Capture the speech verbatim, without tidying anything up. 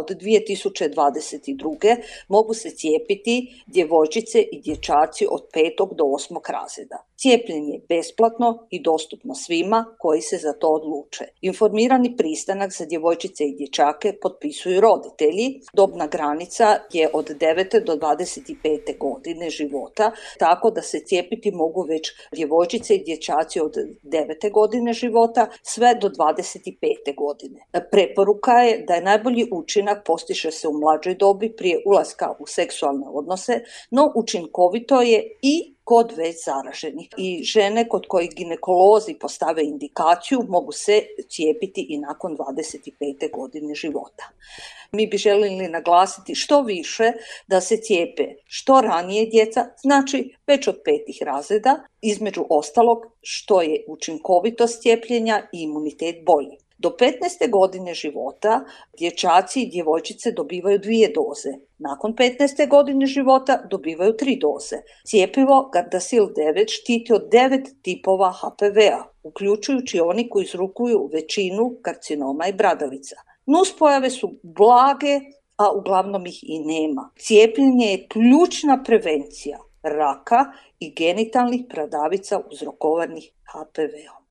od dvije tisuće dvadeset druge mogu se cijepiti djevojčice i dječaci od petog do osmog razreda. Cijepljenje je besplatno i dostupno svima koji se za to odluče. Informirani pristanak za djevojčice i dječake potpisuju roditelji. Dobna granica je od devete do dvadeset pete godine života, tako da se cijepiti mogu već djevojčice i dječaci od devete godine života sve do dvadeset pete godine. Preporuka je da je najbolji učinak postiže se u mlađoj dobi prije ulaska u seksualne odnose, no učinkovito je i kod već zaraženih. I žene kod kojih ginekolozi postave indikaciju mogu se cijepiti i nakon dvadeset pete godine života. Mi bi željeli naglasiti što više da se cijepe što ranije djeca, znači već od petih razreda, između ostalog što je učinkovitost cijepljenja i imunitet bolji. Do petnaeste godine života dječaci i djevojčice dobivaju dvije doze. Nakon petnaeste godine života dobivaju tri doze. Cjepivo Gardasil devet štiti od devet tipova H P V-a, uključujući oni koji uzrokuju većinu karcinoma i bradavica. Nuspojave su blage, a uglavnom ih i nema. Cijepljenje je ključna prevencija raka i genitalnih bradavica uzrokovanih H P V-om.